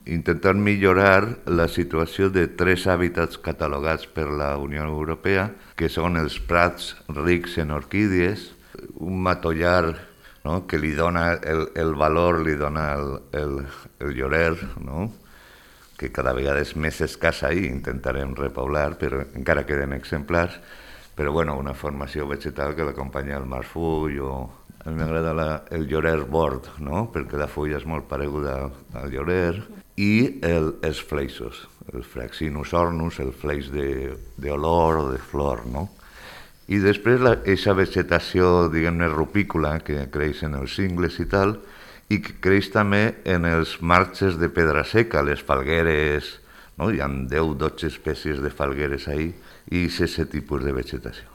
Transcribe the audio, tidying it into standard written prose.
intentant millorar la situació de 3 hàbitats catalogats per la Unió Europea, que són els prats rics en orquídies, un matollar, no?, que li dona el valor, li dona el llorer, no?, que cada vegada és més escàs ahir, intentarem repoblar, però encara queden exemplars, però bueno, una formació vegetal que l'acompanya el marfull o... A mi m'agrada el llorer bord, no?, perquè la fulla és molt pareguda al llorer, i els fleixos, el Fraxinus ornus, el fleix d'olor o de flor, no? I després aquesta vegetació, diguem-ne, rupícola, que creix en els cingles i tal, i que creix també en els marges de pedra seca, les falgueres, no? Hi ha 10-12 espècies de falgueres ahí, i és aquest tipus de vegetació.